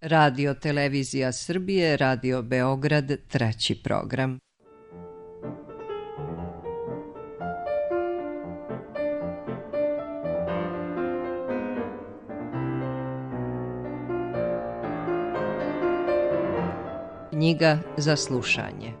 Radio Televizija Srbije, Radio Beograd, treći program. Knjiga za slušanje.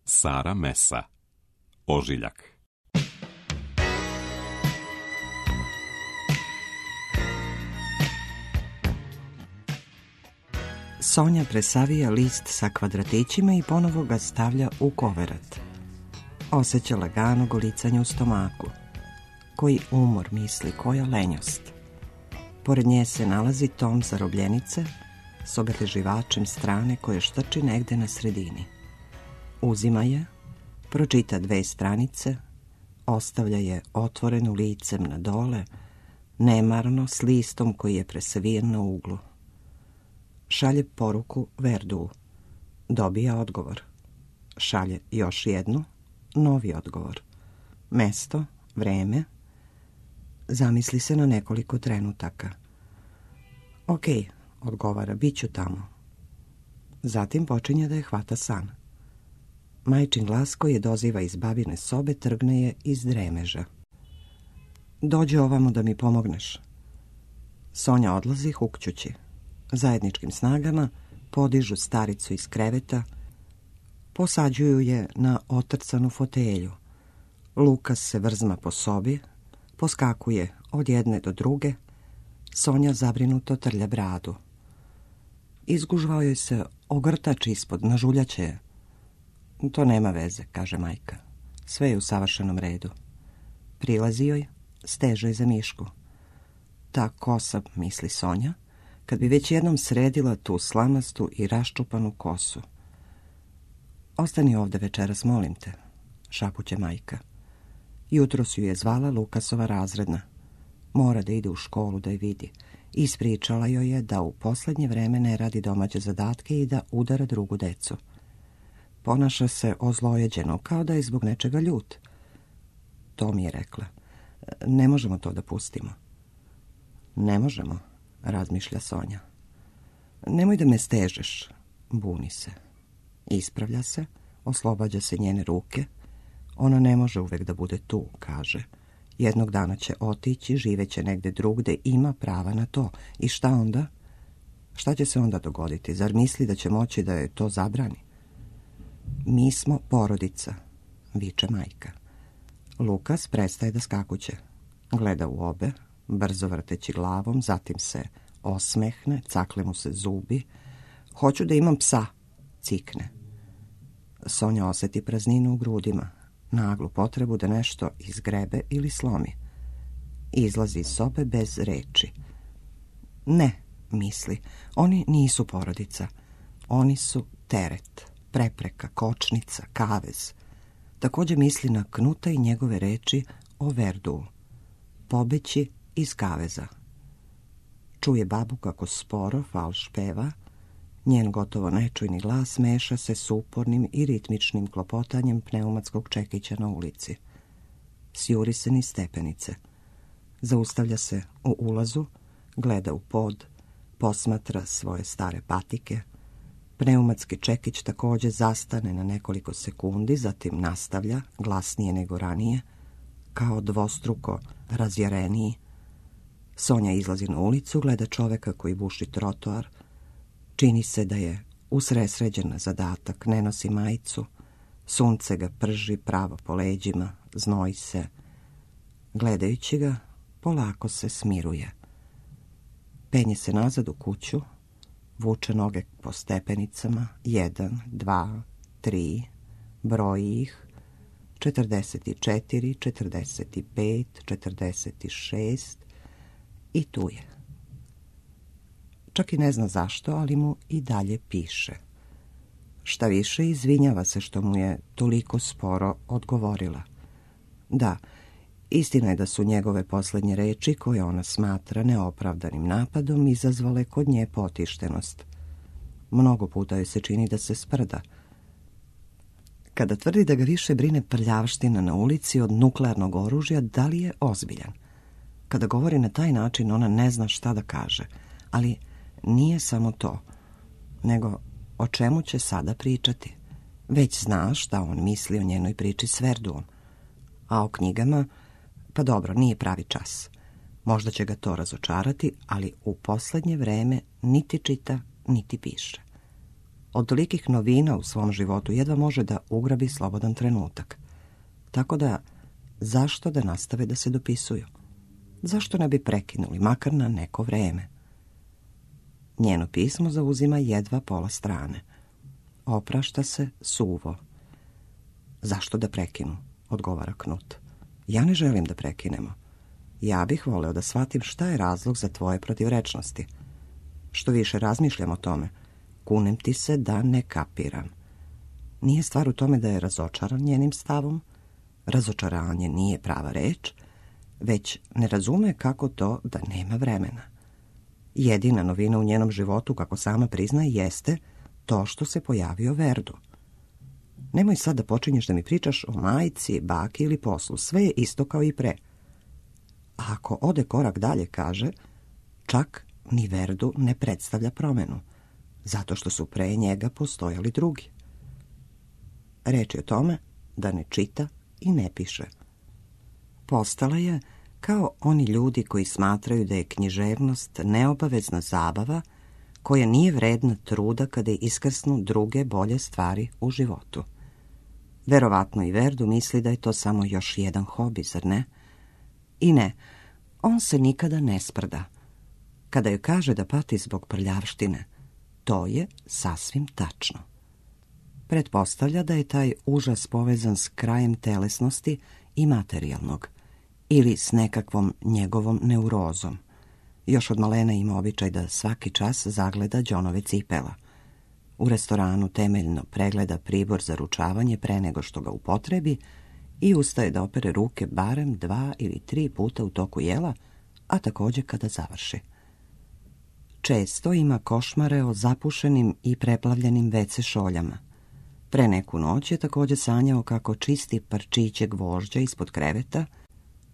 Sara Mesa, Ožiljak. Sonja presavija list sa kvadratićima i ponovo ga stavlja u koverat. Osjeća lagano golicanje u stomaku. Koji umor, misli, koja lenjost. Pored nje se nalazi tom zarobljenice s obeleživačem strane koje štrči negde na sredini. Uzima je, pročita 2 stranice, ostavlja je otvorenu licem na dole, nemarno s listom koji je presavijen na uglu. Šalje poruku Verdu. Dobija odgovor. Šalje još jednu, novi odgovor. Mesto, vreme. Zamisli se na nekoliko trenutaka. Ok, odgovara, bit ću tamo. Zatim počinje da je hvata san. Majčin glas koji je doziva iz babine sobe trgne je iz dremeža. Dođi ovamo da mi pomogneš. Sonja odlazi hukćući. Zajedničkim snagama podižu staricu iz kreveta, posađuju je na otrcanu fotelju. Lukas se vrzma po sobi, poskakuje od jedne do druge. Sonja zabrinuto trlja bradu. Izgužvao joj se ogrtač ispod, nažuljaće je. To nema veze, kaže majka. Sve je u savršenom redu. Prilazi joj, steže joj za mišku. Ta kosa, misli Sonja, kad bi već jednom sredila tu slamastu i raščupanu kosu. Ostani ovde večeras, molim te, šapuće majka. Jutros ju je zvala Lukasova razredna. Mora da ide u školu da je vidi. Ispričala joj je da u poslednje vreme ne radi domaće zadatke i da udara drugu decu. Ponaša se ozlojeđeno, kao da je zbog nečega ljut. To mi je rekla. Ne možemo to da pustimo. Ne možemo, razmišlja Sonja. Nemoj da me stežeš, buni se. Ispravlja se, oslobađa se njene ruke. Ona ne može uvek da bude tu, kaže. Jednog dana će otići, živeće negde drugde, ima prava na to. I šta onda? Šta će se onda dogoditi? Zar misli da će moći da je to zabrani? Mi smo porodica, viče majka. Lukas prestaje da skakuće. Gleda u obe, brzo vrteći glavom, zatim se osmehne, cakle mu se zubi. Hoću da imam psa, cikne. Sonja oseti prazninu u grudima, naglu potrebu da nešto izgrebe ili slomi. Izlazi iz sobe bez reči. Ne, misli, oni nisu porodica. Oni su teret, prepreka, kočnica, kavez. Također misli na Knuta i njegove reči o Verdu. Pobeći iz kaveza. Čuje babu kako sporo falš peva. Njen gotovo nečujni glas meša se s upornim i ritmičnim klopotanjem pneumatskog čekića na ulici. Sjuri se niz stepenice. Zaustavlja se u ulazu, gleda u pod, posmatra svoje stare patike. Pneumatski čekić također zastane na nekoliko sekundi, zatim nastavlja, glasnije nego ranije, kao dvostruko razjareniji. Sonja izlazi na ulicu, gleda čoveka koji buši trotoar. Čini se da je usresređen na zadatak, ne nosi majicu. Sunce ga prži pravo po leđima, znoji se. Gledajući ga, polako se smiruje. Penje se nazad u kuću, vuče noge po stepenicama, 1, 2, 3, broji ih, 44, 45, 46 i tu je. Čak i ne zna zašto, ali mu i dalje piše. Šta više, izvinjava se što mu je toliko sporo odgovorila. Da, istina je da su njegove posljednje reči, koje ona smatra neopravdanim napadom, izazvale kod nje potištenost. Mnogo puta joj se čini da se sprda. Kada tvrdi da ga više brine prljavština na ulici od nuklearnog oružja, da li je ozbiljan? Kada govori na taj način, ona ne zna šta da kaže. Ali nije samo to, nego o čemu će sada pričati. Već znaš šta on misli o njenoj priči s Verduom. A o knjigama, pa dobro, nije pravi čas. Možda će ga to razočarati, ali u poslednje vreme niti čita, niti piše. Od tolikih novina u svom životu jedva može da ugrabi slobodan trenutak. Tako da, zašto da nastave da se dopisuju? Zašto ne bi prekinuli, makar na neko vreme? Njeno pismo zauzima jedva pola strane. Oprašta se suvo. Zašto da prekinu? Odgovara Knut. Ja ne želim da prekinemo. Ja bih voleo da shvatim šta je razlog za tvoje protivrečnosti. Što više razmišljam o tome, kunem ti se da ne kapiram. Nije stvar u tome da je razočaran njenim stavom. Razočaranje nije prava reč, već ne razume kako to da nema vremena. Jedina novina u njenom životu, kako sama priznaje, jeste to što se pojavio Verdu. Nemoj sad da počinješ da mi pričaš o majci, baki ili poslu. Sve je isto kao i pre. A ako ode korak dalje, kaže, čak ni Verdu ne predstavlja promenu, zato što su pre njega postojali drugi. Reč je o tome da ne čita i ne piše. Postala je kao oni ljudi koji smatraju da je književnost neobavezna zabava koja nije vredna truda kada iskrsnu druge bolje stvari u životu. Verovatno i Verdu misli da je to samo još jedan hobi, zar ne? I ne, on se nikada ne sprda. Kada joj kaže da pati zbog prljavštine, to je sasvim tačno. Pretpostavlja da je taj užas povezan s krajem telesnosti i materijalnog, ili s nekakvom njegovom neurozom. Još od malena ima običaj da svaki čas zagleda đonove cipela. U restoranu temeljno pregleda pribor za ručavanje pre nego što ga upotrebi i ustaje da opere ruke barem 2 ili 3 puta u toku jela, a također kada završi. Često ima košmare o zapušenim i preplavljenim WC šoljama. Pre neku noć je također sanjao kako čisti parčiće gvožđa ispod kreveta,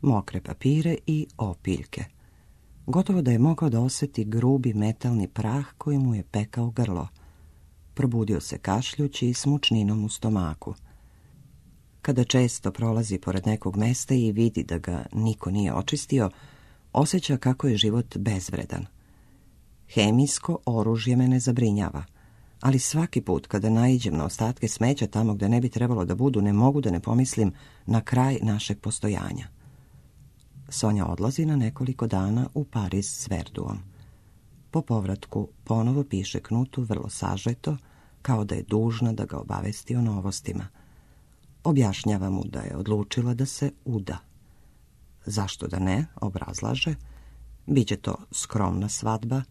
mokre papire i opiljke. Gotovo da je mogao da osjeti grubi metalni prah koji mu je pekao grlo. Probudio se kašljući i s mučninom u stomaku. Kada često prolazi pored nekog mesta i vidi da ga niko nije očistio, osjeća kako je život bezvredan. Hemijsko oružje me ne zabrinjava, ali svaki put kada naiđem na ostatke smeća tamo gde ne bi trebalo da budu, ne mogu da ne pomislim na kraj našeg postojanja. Sonja odlazi na nekoliko dana u Pariz s Verduom. Po povratku ponovo piše Knutu vrlo sažeto, kao da je dužna da ga obavesti o novostima. Objašnjava mu da je odlučila da se uda. Zašto da ne, obrazlaže, biće to skromna svadba,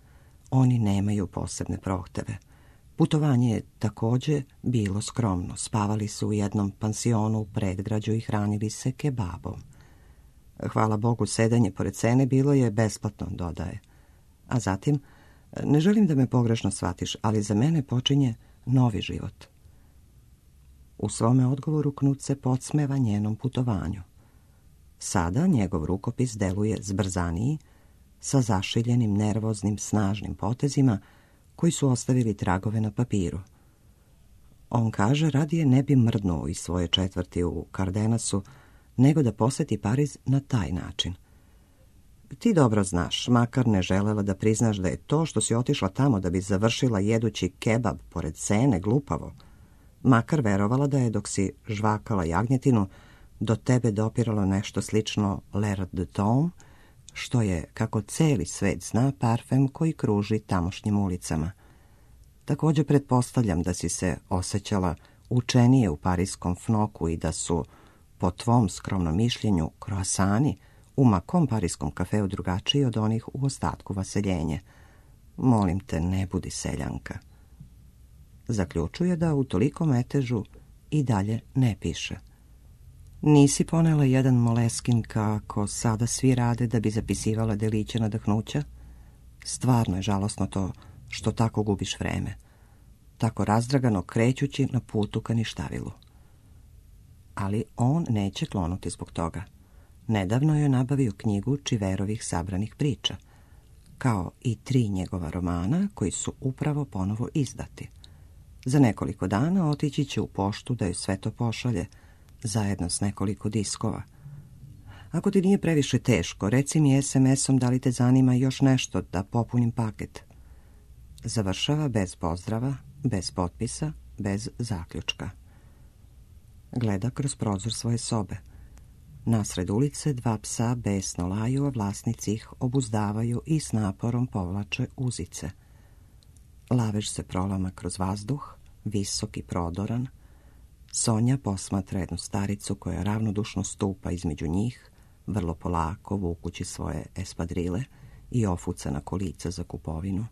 oni nemaju posebne prohteve. Putovanje je također bilo skromno, spavali su u jednom pansionu u predgrađu i hranili se kebabom. Hvala Bogu, sedenje pored cene bilo je besplatno, dodaje. A zatim, ne želim da me pogrešno shvatiš, ali za mene počinje novi život. U svome odgovoru Knut se podsmeva njenom putovanju. Sada njegov rukopis deluje zbrzaniji, sa zašiljenim, nervoznim, snažnim potezima koji su ostavili tragove na papiru. On kaže, radije ne bi mrdnuo iz svoje četvrti u Kardenasu, nego da posjeti Pariz na taj način. Ti dobro znaš, makar ne želela da priznaš da je to što si otišla tamo da bi završila jedući kebab pored cene glupavo, makar verovala da je dok si žvakala jagnjetinu do tebe dopiralo nešto slično l'air de temps, što je, kako celi svet zna, parfem koji kruži tamošnjim ulicama. Također pretpostavljam da si se osjećala učenije u parijskom fnoku i da su, po tvom skromnom mišljenju, kroasani u makom parijskom kafeu drugačiji od onih u ostatku vaseljenje. Molim te, ne budi seljanka. Zaključuje da u toliko metežu i dalje ne piše. Nisi ponela jedan Moleskin kako sada svi rade da bi zapisivala deliće nadahnuća? Stvarno je žalosno to što tako gubiš vreme, tako razdragano krećući na putu ka ništavilu. Ali on neće klonuti zbog toga. Nedavno je nabavio knjigu Čiverovih sabranih priča, kao i 3 njegova romana koji su upravo ponovo izdati. Za nekoliko dana otići će u poštu da joj sve to pošalje, zajedno s nekoliko diskova. Ako ti nije previše teško, reci mi SMS-om da li te zanima još nešto da popunim paket. Završava bez pozdrava, bez potpisa, bez zaključka. Gleda kroz prozor svoje sobe. Nasred ulice 2 psa besno laju, a vlasnici ih obuzdavaju i s naporom povlače uzice. Lavež se prolama kroz vazduh, visok i prodoran. Sonja posmatra jednu staricu koja ravnodušno stupa između njih, vrlo polako vukući svoje espadrile i ofucana kolica za kupovinu.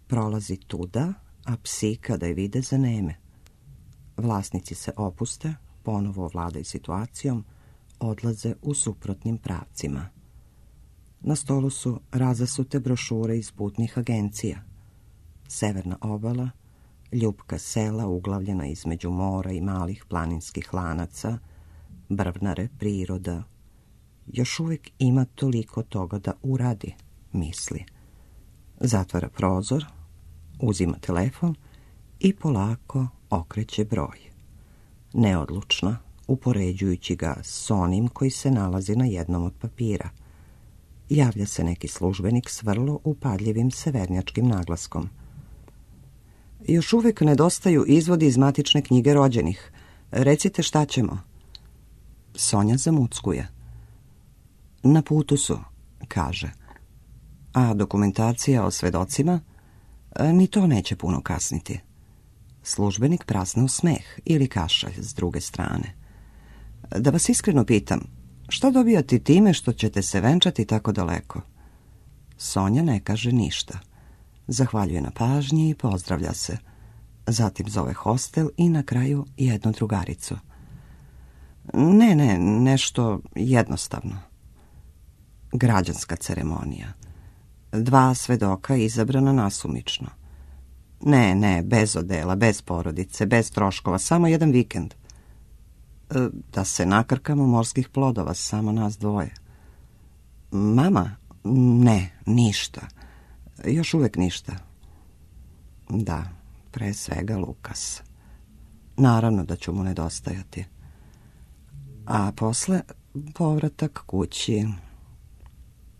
Prolazi tuda, a psi kada je vide zaneme. Vlasnici se opuste, ponovo ovladaju situacijom, odlaze u suprotnim pravcima. Na stolu su razasute brošure iz putnih agencija. Severna obala, ljupka sela uglavljena između mora i malih planinskih lanaca, brvnare, priroda. Još uvijek ima toliko toga da uradi, misli. Zatvara prozor, uzima telefon i polako okreće broj. Neodlučno, upoređujući ga s onim koji se nalazi na jednom od papira. Javlja se neki službenik s vrlo upadljivim severnjačkim naglaskom. Još uvijek nedostaju izvodi iz matične knjige rođenih. Recite šta ćemo. Sonja zamuckuje. Na putu su, kaže. A dokumentacija o svedocima? Ni to neće puno kasniti. Službenik prasne u smeh ili kašalj s druge strane. Da vas iskreno pitam, što dobijate time što ćete se venčati tako daleko? Sonja ne kaže ništa. Zahvaljuje na pažnji i pozdravlja se. Zatim zove hostel i na kraju jednu drugaricu. Ne, nešto jednostavno. Građanska ceremonija. 2 svedoka izabrana nasumično. Ne, bez odela, bez porodice, bez troškova, samo jedan vikend. Da se nakrkamo morskih plodova, samo nas 2. Mama? Ne, ništa. Još uvijek ništa. Da, pre svega Lukas. Naravno da ću mu nedostajati. A posle povratak kući.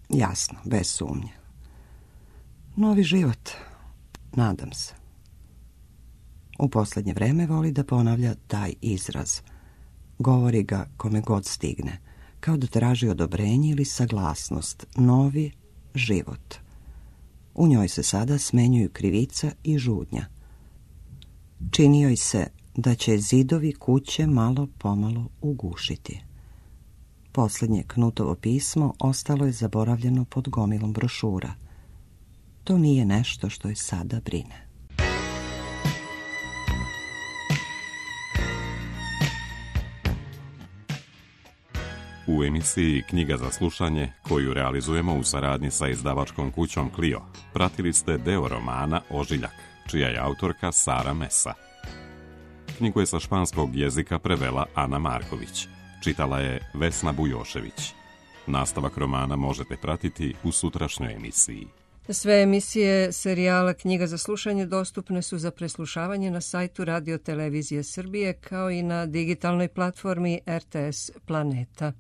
Jasno, bez sumnje. Novi život, nadam se. U posljednje vreme voli da ponavlja taj izraz. Govori ga kome god stigne, kao da traži odobrenje ili saglasnost. Novi život. U njoj se sada smenjuju krivica i žudnja. Čini joj se da će zidovi kuće malo pomalo ugušiti. Posljednje Knutovo pismo ostalo je zaboravljeno pod gomilom brošura. To nije nešto što je sada brine. U emisiji Knjiga za slušanje, koju realizujemo u saradnji sa izdavačkom kućom Clio, pratili ste deo romana Ožiljak, čija je autorka Sara Mesa. Knjigu je sa španskog jezika prevela Ana Marković. Čitala je Vesna Bujošević. Nastavak romana možete pratiti u sutrašnjoj emisiji. Sve emisije serijala Knjiga za slušanje dostupne su za preslušavanje na sajtu Radio Televizije Srbije kao i na digitalnoj platformi RTS Planeta.